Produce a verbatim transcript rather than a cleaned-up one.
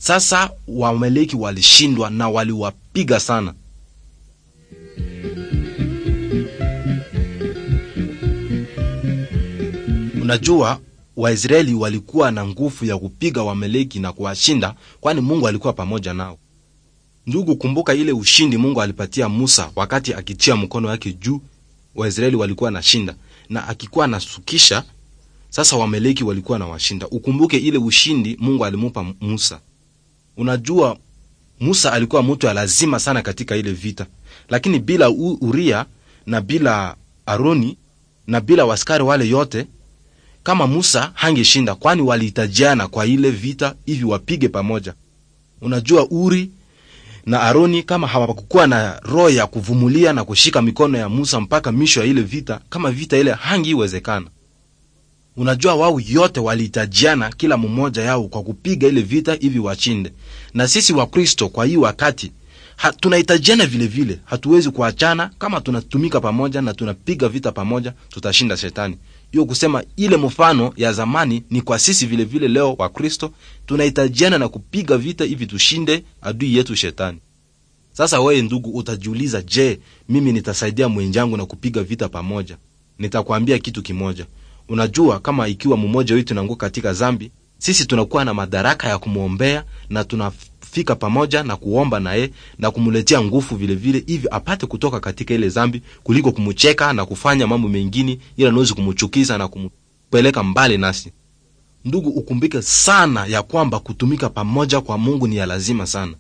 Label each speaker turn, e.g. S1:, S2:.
S1: Sasa Waamaleki walishindwa na waliwapiga sana. Unajua, Waisraeli walikuwa na nguvu ya kupiga Waamaleki na kuwashinda, kwani Mungu alikuwa pamoja nao. Ndugu, kumbuka ile ushindi Mungu alipatia Musa wakati akitia mkono wake juu, Waisraeli walikuwa na shinda, na akikuwa anasukisha, sasa Waamaleki walikuwa na washinda. Ukumbuke ile ushindi Mungu alimupa Musa. Unajua, Musa alikuwa mtu ya lazima sana katika ile vita, lakini bila Uria na bila Aroni na bila waskari wale yote, kama Musa hangeshinda, kwani walihitajiana kwa ile vita hivi wapige pamoja. Unajua, Uri na Aroni kama hawakukuwa na roho ya kuvumilia na kushika mikono ya Musa mpaka misho ya ile vita, kama vita ile hangiwezekana. Unajua, wao yote walihitajiana kila mmoja yao kwa kupiga ile vita hivi washinde. Na sisi wa Kristo kwa hii wakati ha, tunahitajiana vile vile, hatuwezi kuachana. Kama tunatumika pamoja na tunapiga vita pamoja, tutashinda shetani. Hiyo kusema ile mfano ya zamani ni kwa sisi vile vile leo wa Kristo tunahitajiana na kupiga vita hivi tushinde adui yetu shetani. Sasa wewe ndugu, utajiuliza, je, mimi nitasaidia mwenzangu na kupiga vita pamoja? Nitakwambia kitu kimoja. Unajua, kama ikiwa mmoja wetu tunaanguka katika zambi, sisi tunakuwa na madaraka ya kumwombea na tunafika pamoja na kuomba naye na kumletea nguvu vile vile, hivi apate kutoka katika ile zambi, kuliko kumcheka na kufanya mambo mengine ila nawezi kumchukiza na kumpeleka mbali nasi. Ndugu, ukumbike sana ya kwamba kutumika pamoja kwa Mungu ni ya lazima sana.